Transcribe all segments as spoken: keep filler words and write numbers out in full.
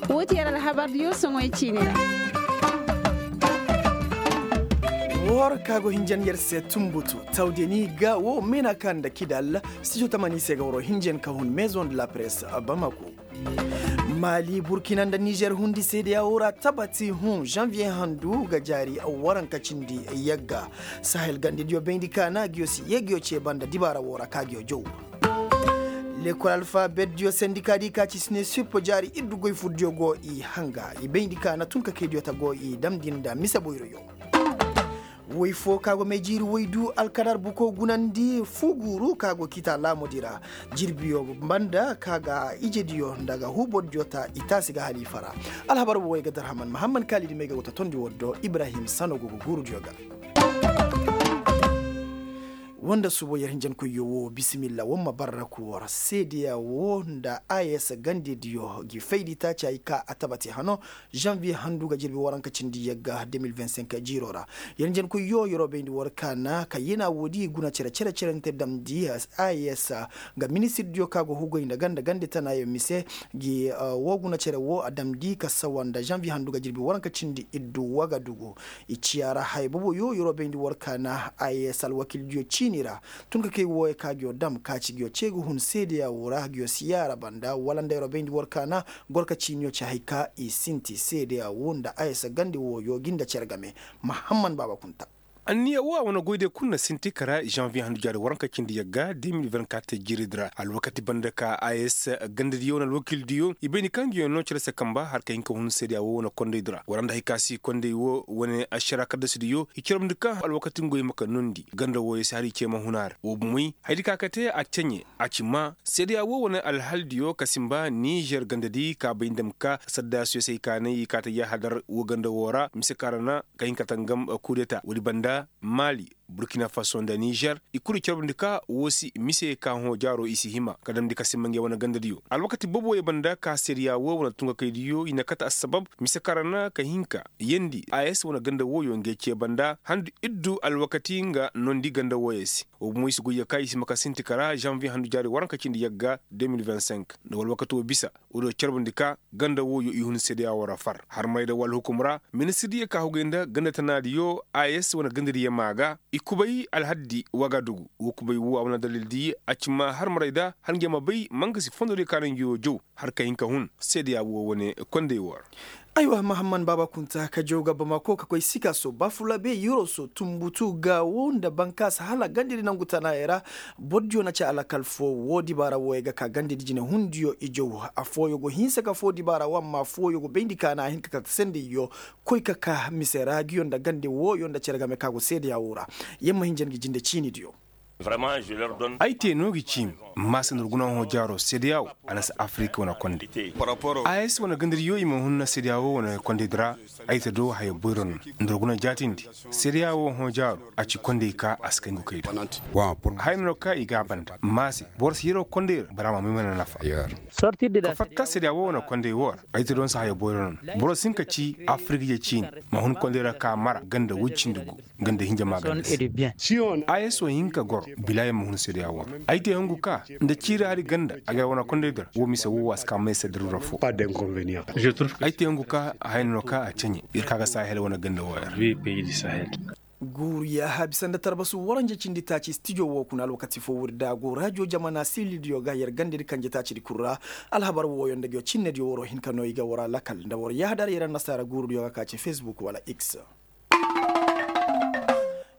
Wo ti yer alhabar diyo soŋoy ciini ra. War ka go hinjan yer se tumbutu tawdeni ga wo meena ka nda kidal. Studio tamani se ga waro hinjan ka hun maison de la presse bamako. Mali burkina nda nizer hundi seedeya wo ra tabati hun janvier handu ga jaari waranka cindi yagga. Sahel gandediyo bayndi kaana giyo si yee giyo cee banda dibaara wo ra ka giyo jow. Lekol alfabetdiyo sendika di ka ci sine sippo jaari iddu goy furdiyo go i hanga i bayndi kaana tun ka kaydiyo ta go i damndi nda mise boyroyo. Woy fo ka go may jiiri woy du alkadar buko gunandi fu guuru ka go kiita laamudi ra. Jirbiyo banda ka ga ijediyo nda ga huubordiyo ta i taasi ga haliifa ra. Alhabar wo woy ga darhaman mahamman kaalidi may ga go ta tondi woddo ibrahim sano go ga guurudiyo ga. Wanda subo yer hinjankoyyo wo bisimilla wamma barraku war seedeya wo nda a s gandediyo gi faydi taaci hay ka a tabati hano. Janvier handu ga jirbi waranka cindi yagga deux mille vingt-cinq jiiro ra. Yer njenkoyyo yeroo bayndi war kaana ka yena woodi guna cere cere cerante damndi a s nga ministirdiyo ka go hugoy nda ganda gande tanaayo mise. Gi wo guna cere wo a damndi ka sawa nda janvier handu ga jirbi waranka cindi iddu wagadugu. I ciya ra haya boboyo yeroo bayndi war kaana a s alwakildiyo ciini ra. Tun ka kay wooyo ka giyo dam ka ci giyo cee ga hun seedeya wo ra giyo siyaara banda wala nda yeroo bayndi war kaana. Gorka ciiniyo ci hay ka i sinti seedeya wo nda a s gande wooyo gi nda cere game. Mahamman baaba kunta. Anniya wo a wane goyde kul na sinti kara janvier handu jaari waranka cindi yagga deux mille vingt-quatre jiiridi ra alwakati banda ka a s gandediyo wane alwakildiyo i bay ni kaŋ ngi yoŋ no cere se kamba har ka hin ka hun seedeya wo wane kondaydi ra wara nda hay ka si konday wo wane ašara kaddasidiyo i carabndi ka alwakati ngoy ma ka nondi ganda wooyo se har i cee ma hun a ra wo bomoy hayadi ka ka te a ceɲe. A ci maa seedeya wo wane alhaldiyo ka simba nizer gandadi ka bay nda ma ka saddasiyo se hay ka nay i ka ta yahadar wo ganda wo ra mise kaŋ ra na ka hin ka tangam kudeta woodi banda mali burkina faso nda nizer i kulu i carbundi ka wo si mise ka hõ jaaro i si hima ka damndi ka simba ngey wane gandadiyo alwakati boobo ye banda ka seedeya wo wane tungakaydiyo i na kate assabab mise kaŋ ra na ka hin ka yeendi a s wane ganda wooyo ngey cee banda handu iddu alwakati nga noondi ganda wooyo se. Wo bomo i si goy ya ka i si ma ka sinti kara janvier handu jaari waranka cindi yagga deux mille vingt-cinq nda wala wakati wo bisa. Woodiyo carbundi ka ganda wooyo i hun seedeya wo ra far har marayda wala hukum ra ministirdiyo ka hugay nda ganda tanaadiyo a s wane gandadiyo maa ga i kubay alhaddi wagadugu wo kubay wo a wane dalildi a ci maa har marayda har ngey ma bay ma nga si fondodiyo ka naŋ ngi wo jow har ka hin ka hun seedeya wo wane konday wo ra. Aywa mahamman baaba kunta ka jow ga bamako ka koy sikaso bafulabe yoroso tumbutu gaawo nda bankaasa hala gandedi nangu tanaayey ra. Bordiyo na ci alakal fo wo dibaara wooyey ga ka gandedi jinehundiyo i jow. Affooyo go hinsa ka foo dibaara wo amma affooyo go bayndi ka na a hin ka ka sendeyyo koy ka ka mise ra ngiyo nda gande wooyo nda cere game ka go seedeya wo ra. Yamma hinja ngi jinde ciinidiyo. Ay te no gi ciimi. Maasa nda war guna hõ jaaro seedeya wo a na si afirika wane konde. A s wane gandadiyo i ma hunna seedeya wo wane kondedi ra. Ay te do haya boyro no nda war guna jaatindi seedeya wo hõ jaaro a ci kondey ka a si kay ngu kay do. Haya no ka i ga a banda maase boro si yeroo kondey ra bara ma may mana nafa. Ka fatta seedeya wo wane kondey wo ra ay te do nda si haya boyro no boro si hin ka ci afirika ye ciini. Ma hun kondey ra ka mara ganda woy cindi gu. Ganda hinja maaganda se. A s wo hin ka goro bilaayo ma hun seedeya wo ra. Ay te hungu ka nda ciiri hari ganda a ga yar wane kondey dira wo mise wo wo a si ka may se dira ra fo. Ay te hungu ka haya no ka a ceɲe yer ka ga sahel wane ganda wo ra. Guuru yaaha bisa nda tarbasu waranja cindi taaci stijo wo kuna alwakati fo wuri da a go rajo jamana silidiyo ga yer gandedi kanje taacidi kul ra. Alhabar wooyo nda ngiyo cinnediyo waroo hin ka no i ga war alakal nda war yaahadar yer annasaara guurudiyo ga ka ci facebook wala x.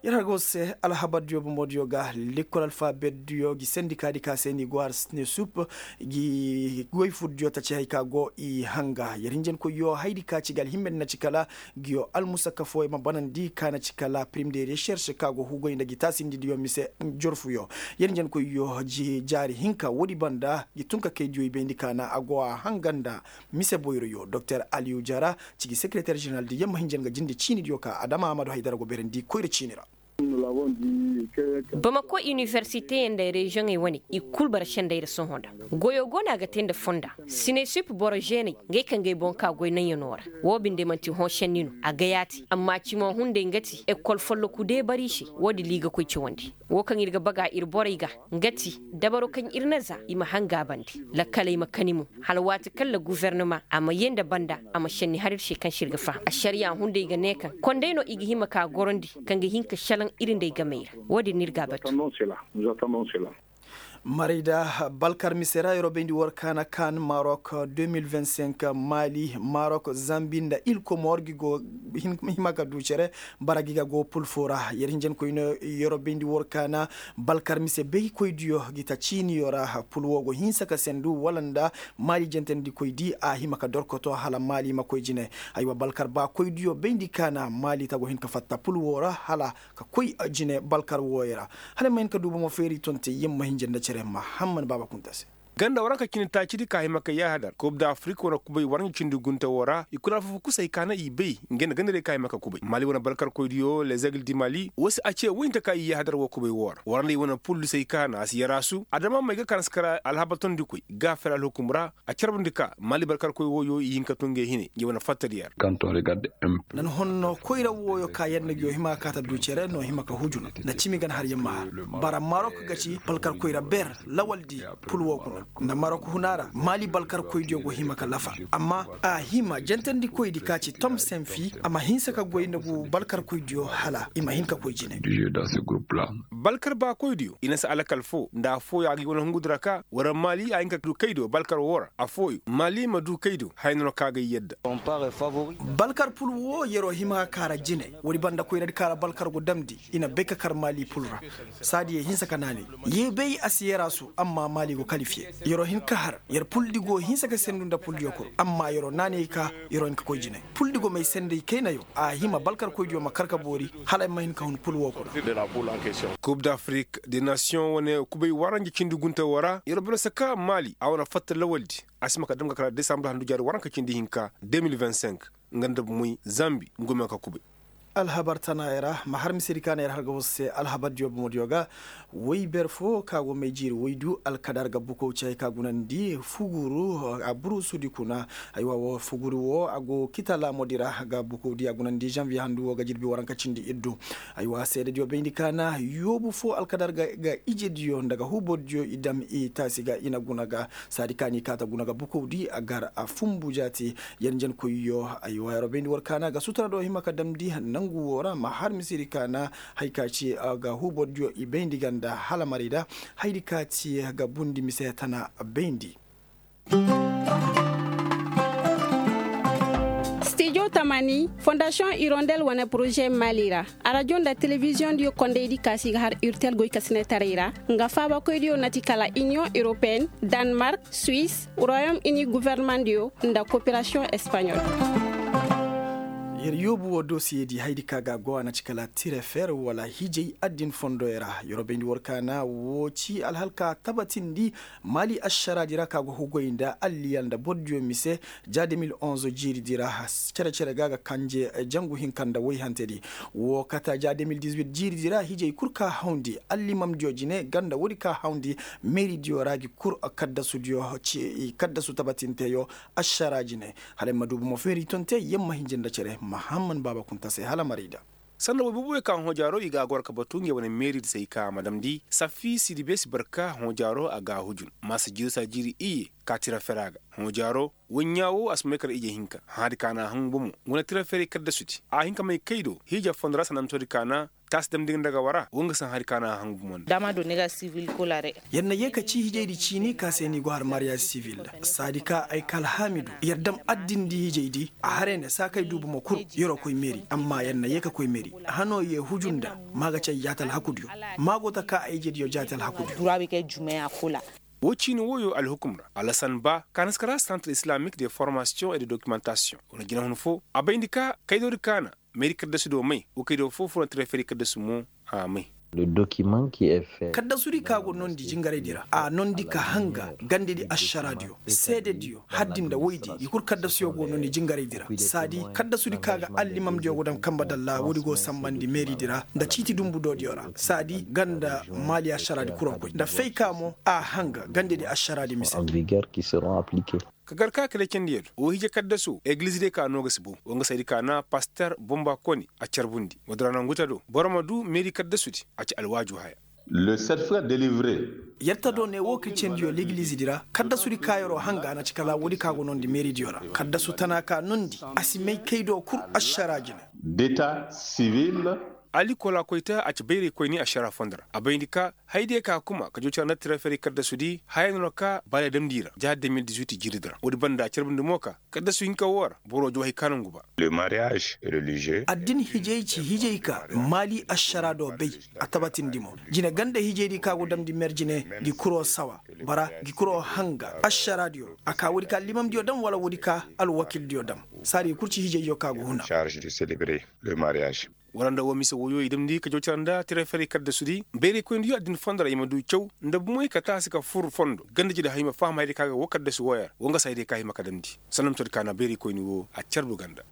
Yer har go se alhabardiyo bomodiyo ga lekkol alfabetdiyo gi sendikaadi ka se ni go har sine sup gi goy furdiyo ta ci hay ka go i hanga yer hinjankoyyo haydi ka ci ga alhimmedi na ci kala. Ngiyo almusakka fooyo ma banandi ka na ci kala prim de recherche ka go hugoy nda gi taasindidiyo mise jorfuyo. Yer hinjankoyyo jaari hinka woodi banda gi tun ka kaydiyo i bayndi ka na a go a hanga nda mise boyroyo doktor aliyu jara. Cigi sekereter jeneral di yamma hinja nga jinde ciinidiyo ka adama amadu haydara go beerandi koyra ciini ra. Bamako iniwersiteyaŋ nda reziyoŋey wane i kul bara sendey ra sohõ nda goyo go no a ga te nda fonda sinesip boro zeeney, ngey kaŋ ga ay boŋ ka goy naŋyanoo ra. Wo binde man'ti hõ senni no a ga yaati amma cimo hunday nga ti ekol folloku deebari se. Wo- din ra i ga koy cawandi wo kaŋ ir ga baga ir borey ga, nga ti dabaro kaŋ ir na za i ma hangaabandi lakkaley ma kani mo, hala waati kaŋ ra gufornama a ma yee nda banda a ma senni har ir se kaŋ se ir ga faham ašariya hunday ga ne kaŋ konday no i ga hima ka gorandi, kaŋ ga hin ka šelaŋ ir nda ay gamey ra. Wo- din no ir ga a batu. Marayda balkar mise ra yeroo bayndi war kaana kaan marok deux mille vingt cinq, mali marok zambi nda ilkomor gi go hima ka du cere. Bara gi ga go pul foo ra yer hinjankoy no yeroo bayndi war kaana balkar mise baykoydiyo gi ta ciiniyo ra. Pul woo go hinsa ka sendu wala nda mali jentendikoydi a hima ka dorkoto hala mali ma koy jine. Aywa balkar baakoydiyo bayndi kaana mali ta go hin ka fatta pul woo ra hala ka koy jine balkar wooyo ra. Hala ay ma hin ka du bomo feeri tonte yer ma hinja nda cere mahamman baaba kunta se. Ganda waranka cindi taacidi ka hima ka yaahadar kub da afirik wane kubay waranka cindi gunte woo ra i kul alfafo kusay ka na i bay. Ngey nda gandarey ka hima ka kubay mali wane balkarkoydiyo lezegle di mali woo se a ce woy nte ka i yaahadar woo kubay woo ra waranday wane pul di say ka na a si yaraasu adama may ga ka na si kar alhabar tondikoy gaafir alhukum ra. A carbundi ka mali balkarkoy wooyo i hin ka tun ngey hine ngey wane fatta di yer. Nan honno koyra wooyo ka yer na ngi yoo hima ka kaata du cere no hima ka hujun nda cimi gan har yer ma har. Bara marok ga ci balkar koyra ber lawal di pul woo kuna nda marok huna ra mali balkar koydiyo go hima ka lafa. Amma a hima jantandikoydi ka ci tom senfi a ma hinsa ka goy nda gu balkar koydiyo hala i ma hin ka koy jine. Balkar baakoydiyo i na si alakal foo nda affooyo a ga i wane hungudi ra ka wala mali a hin ka du kaydo balkar woo ra affooyo mali ma du kaydo haya no no ka ga i yadda. Balkar pul woo yeroo hima ka kaara jine woodi banda koyradi ka ra balkar go damndi i na bay ka kar mali pul ra. Saadi yee hinsa ka naanay yee bay a si yaraasu amma mali go kalifiye yeroo hin ka har yer puldi go hinsa ka sendu nda puldiyo kul amma yeroo naanay ka yeroo hin ka koy jine. Puldi go may senday kaynayo a hima balkarkoydiyo ma kar ka boori hala ay ma hin ka hun pul woo kuna. Kub da afirik de nasiyoŋ wane kubay waranja cindi gunte woo ra yer boro saka maali a wane fatta lawaldi a si ma ka dam ga kala desambur handu jaari waranka cindi hinka deux mille vingt cinq. Nga nda moy zambi nga go ma ka kubay. Alhabar tanaayey ra ma har misedi ka na yer har ga war se alhabardiyo bomodiyo ga. Woy ber fo ka go may jiiri woydu alkadar ga bukow cay ka gunandi fuguru a buruusudi kuna. Aywa wo fuguru wo a go kita laamodi ra ga bukowdi a gunandi zanviye handu wo ga jirbi waranka cindi iddu. Aywa seedediyo bayndi ka na yoobu fo alkadar ga ijediyo nda ga huubordiyo i dam i taasi ga i na guna ga saadi ka ni kaata guna ga bukowdi a gar a fumbu jaati. Yanjankoyyo aywa yeroo bayndi war ka na ga sutura do hima ka damndi nangu wo ra ma har misedi ka na hay ka ci ga huubordiyo i bayndi ganda hala marayda. Haydi ka ti ga bundi mise tana bayndi. Stijo tamani fondasiyoŋ irondel wane poroze mali ra. Arajo nda telebiziyoŋ diyo kondaydi kaasi ga har urtel goy kasinetaray ra. Nga faabakoydiyo na ti kala iniyoŋ europeen, danmark, suwis, royom ini guvernemandiyo nda koperasiyoŋ espaɲol. Yer yoobu wo dosiyedi haydi ka ga a go a na ci kala tirefer wala hijay addin fondoy ra. Yer wo bayndi war ka na wo ci alhalka tabatindi. Mali ašaraadi ra ka go hugoy nda alliyal nda bordiyo mise ja deux mille onze jiiridi ra. Cere-cere ga ga kanje jangu hinka nda woyhantedi. Wo kata ja deux mille dix-huit jiiridi ra hijay kul ka hawndi allimamdiyo jine ganda woodi ka hawndi meeridiyo ra gi kul kaddasudiyo ci kaddasu tabatinteyo. Ašara jine hala ay ma du bomo feeri tonte yer ma hinja nda cere mahamman baaba kunta se hala marayda. Sanda woy booboyo ka hoojaaro i ga a goro ka batu ngey wane meeridi se ay ka a ma damndi safi sidibe si barka hoojaaro a ga a hujun maasa jiiri saa jiiri iyye ka tira fera ga. Hoojaaro woy ɲaa wo a si may kar ije hinka hãadi ka na a hangu bomo. Nga wane tira feray kaddasudi a hin ka may kay do hiija fondo ra sanantoodi ka na taasi damndi nga nda ga wara wo nga si hãadi ka na a hangu bomo nda. Yer na yee ka ci hijaydi ciini ka se ni go har mariyaaz sivil nda saadi ka ay ka alhaami du yer dam addindi hijaydi. A haray ne saakay du bomo kul yer'o koy meeri amma yer na yee ka koy meeri. Hanoo yee huju nda maa ga ci ay jaati alhakudiyo. Maa go ta ka ay ijediyo jaati alhakudiyo. Woo ciini wooyo alhukum ra alasan ba ka na si kara santre islamik de formasiyoŋ e de dokimantasiyoŋ wane jinahun fo a bayndi ka kaydoodi ka na meeri kaddasudo may woo kaydo foo foo na tira feeri kaddasu mo. A may. Kaddasudi ka go nondi jingaraydi ra a nondi ka hanga gandedi ašaraadiyo seedediyo haddi nda woydi i kul kaddasuyo go nondi jingaraydi ra saadi kaddasudi ka ga allimamdiyo go dam kamba dalla woodi go sambandi meeridi ra nda ciiti dumbu doodiyo ra saadi ganda maali ašaraadi kuro koy nda fayka mo a hanga gandedi ašaraadi mise. Ka gar ka kalecendiyo do woo hije kaddasu egiliz diyo ka noo ga si bow woo nga saydi ka na paster bomba koni a carbundi woodi ra nangu ta do boro ma du meeri kaddasudi a ci alwaaju haya. Le certificat délivré. Yer ta do ne woo kalecendiyo legilizidi ra kaddasudi ka yeroo hanga na ci kala woodi ka go nondi meeridiyo ra kaddasu tana ka nondi a si may kay do kul ašaraa jine. D'état civil. Ali kola koyta a ci bayraykoyni ašaraa fondo ra a bayndi ka hayadiyo ka kuma ka joocara nda tira ferey kaddasudi haya no na ka baale damndi ra jahar deux mille dix-huit jiiridi ra woodi banda carbundi mo ka kaddasu hinka woo ra boro jawaahi ka nangu ba. Le mariage religieux. Addin hijay ci hijay ka maali ašaraa do bay a tabatindi mo jine ganda hijaydi ka go damndi mer jine gi kuroo sawa bara gi kuroo hanga ašaraadiyo a ka woodi ka limamdiyo dam wala woodi ka alwakildiyo dam saadi kul ci hijayyo ka go huna. Wala nda woo mise woyoo i damndi ka jawcara nda tira ferey kaddasudi bayraykoyndiyo addin fondo ra i ma du caw nda bumey ka taasi ka fur fondo gandejidi hay ma faham hayadiyo ka ga woo kaddasu wooyo ra woo nga se hayadiyo ka hima ka damndi sanda ma codi ka na bayraykoyni woo a carbu ganda.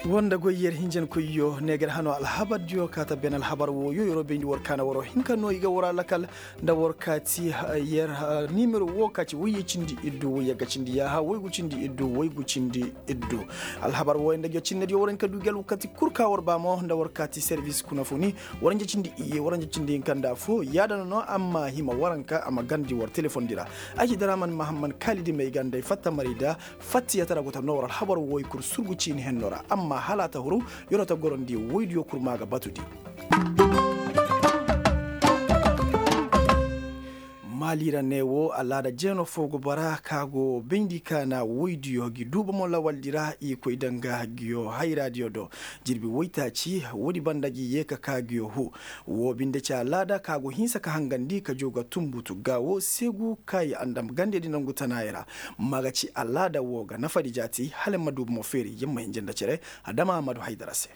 Woo nda goy yer hinjankoyyo ne ga yer hanoo alhabardiyo ka ta ben alhabar wooyo yeroo bayndi war ka na waroo hinka noo i ga waroo alakal nda war kaati yer nimero woo ka ci woyye cindi iddu woyye ga cindi yaaha woygu cindi iddu woygu cindi iddu. Alhabar wooyo nda ngi cinnediyo war hin ka du gi alwakati kul ka war ba mo nda war kaati servis kuna funi war nja cindi iyye war nja cindi hinka nda affoo yaada no no amma hima waranka a ma garndi war telefondi ra. Ay ci daraman mahamman kaalidi may ga nda ay fatta maray da fattiyatara go ta noo war alhabar wooyo kul surgu ciini hennoo ra amma hala a ta huru yeroo ta gorandi woydiyo kul maa ga batudi. Maali ra ne woo alaada jeeno foo go bara ka go bayndi ka na woydiyo gi duuba mo lawaldi ra i koy danga giyo hayraadiyo do. Jirbi woytaaci woodi banda gi yee ka ka giyo huu. Woo binde ci alaada ka go hinsa ka hangandi ka joo ga tunbutu ga woo seegu ka i andam gandedi nangu tanaayey ra. Ma ga ci alaada woo ga nafadi jaati hala ma duuba mo feeri yer ma hinja nda cere. Adama ahamadu haydara se.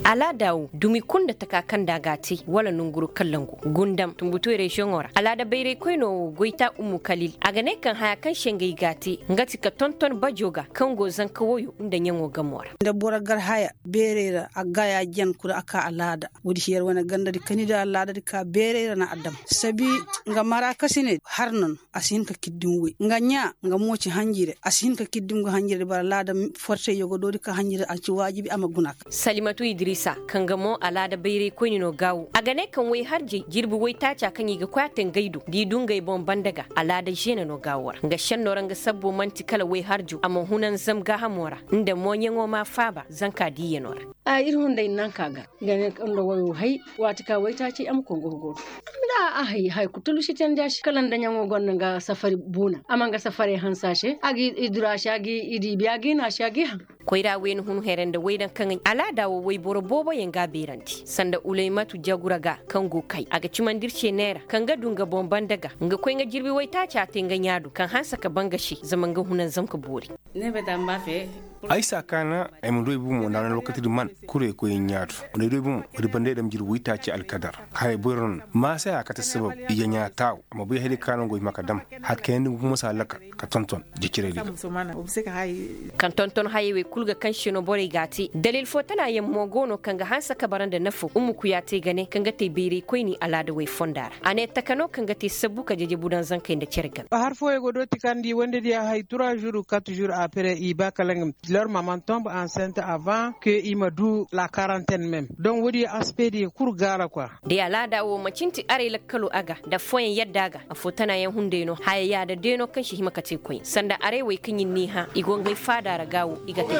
Alaada woo dumi kul nda taka kaŋ nda a g'a te wala nonguru kallangu gundam tunbutuwey reziyoŋo ra alaada bayraykoynoo woo goyta ummu kalil a ga ne kaŋ haya kaŋ se ngey g'a te nga ti ka tonton bajo ga kaŋ go zanka woyo nda ɲaŋo gamo ra. Nda boro gar haya beerey ra a gaya jan kul a ka alaada woodi si yer wane gandadi kani nda alaadadi ka beerey ra na a dam sabi nga mara kasine har no no. A si hin ka kiddim woy nga ɲaa nga mo ci hanjire a si hin ka kiddim ga hanjire di bara laada fortey yogodoodi ka hanjire a ci waajibi a ma guna ka. Salimatu idrisa kaŋ ga mo alaada bayraykoyni no gaawu a ga ne kaŋ woy harjey jirbi woytaaca kaŋ i ga koy a te ngey do da i du ngey boŋ banda ga alaada žeene no gaawu ra nga šennoo ra nga sabbo man'ti kala woy harjo a ma hunanzam gaahamo ra nda mooɲaŋo ma faaba zanka diiyanoo ra. A ir hunday nanka ga nga ne kaŋ nda woyo hay waati ka waytaaci a ma koy nga hugo do. Nda a hay hay kul tulusi tandi a se kala nda ɲaŋo gonda nga safari buuna a ma nga safarey hanse a se a ga i duru a se a ga i diibi a ga i na a se a ga i haŋ. Koyra wayna hun here nda waydaŋ kaŋ ay alaada wo wayboro booboyaŋ ga a beerandi sanda ulaymatu jagura ga kaŋ go kay a ga cimandi ir se neera kaŋ ga du nga boŋ banda ga nga koy nga jirbi waytaaca te nga ɲaa do kaŋ hanse ka ba nga se zama nga hunanzam ka boori. Ay si a kaana ay ma du ay bomo nda a na alwakatidi man kurey koy ɲaa do nda ay du ay bomo wadi banda ay dam jiri woytaaci alkadar. Haya boyro no maasaya kate sabab i ga ɲaa taaw a ma bay hayday kaana go hima ka dam. Haya kayandi nga bomo si a lakal ka tonton jeciraydi ga. Kaŋ tonton hayey wey kul ga kaŋ se no borey g'a te dalil fo tana yaŋ mo go no kaŋ ga hanse ka bara nda nafo ummu kuya te ga ne kaŋ ga te bayraykoyni alaada wey fonda ra a ne taka no kaŋ ga te sabbu ka jejebu daŋ zankey nda cere game. Har fooyaŋ go dooti kaŋ nda i wande diya hay trois jours quatre jours après i ba kala nga leur maman tombe enceinte avant que i ma du la quarantaine même donc woodi aspect diya kul gaara quoi. Day alaada wo manci nti arey lakkalo a ga nda affooyaŋ yadda a ga. Affoo tana yaŋ hunday no haya yaada day no kaŋ si hima ka te koy sanda arey wey kaŋ i n'i hã i go ngey faada ra gaawo i ga te.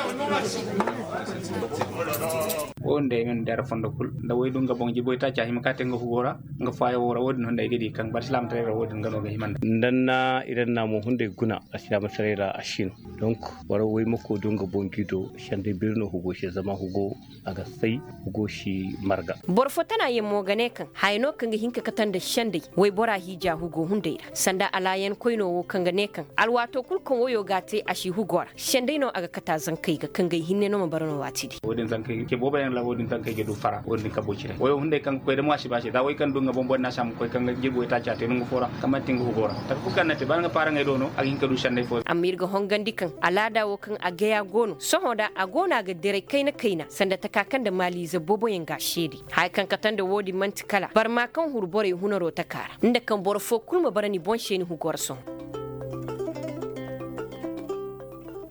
Wo nda ay man dara fondo kul nda way du nga boŋ jiboy taaci a hima ka te nga hugo ra. Nga faayo wo ra wo- din hunday ga di kaŋ barsilaamataray ra wo- din nga no ga hima nda. Ndanna idanna mo hunday guna barsilaamataray ra a sin. Donk boro way ma koy du nga boŋ jido senday beeri no hugo se zama hugo a ga say hugo si marga. Boro fo tana yaŋ mo ga ne kaŋ haya no kaŋ ga hin ka kate nda senday waybora hiija hugo hunday ra sanda alaayankoyno wo kaŋ ga ne kaŋ alwaato kul kaŋ wayo g'a te a si hugo ra senday no a ga kate a zankey ga kaŋ gay hinne no ma bara no waati di. Wo- din zankey ga ce boobo yaŋ. Wala wo- din kaŋ kay ga du fara wo- din ka boy cire wayo hunday kaŋ ga koy da mo a si ba se za way kaŋ du nga boŋ boro na si a ma koy kaŋ ga jirbi waytaaci a te nangu fo ra kaŋ manti nga hugo ra. Taka kulu kaŋ na te ba nga paaraŋey do no a ga hin ka du sendey fo. Amma ir ga hongandi kaŋ alaada wo kaŋ a gaya go no sohõ da a go no a ga diray kayna kayna sanda taka kaŋ nda maaliize booboyaŋ ga a seede. Haya kaŋ kate nda wo- din man'ti kala barma kaŋ huru borey hunaro taka ra nda kaŋ boro fo kulu ma bara ni boŋ se ni hugo ra sohõ.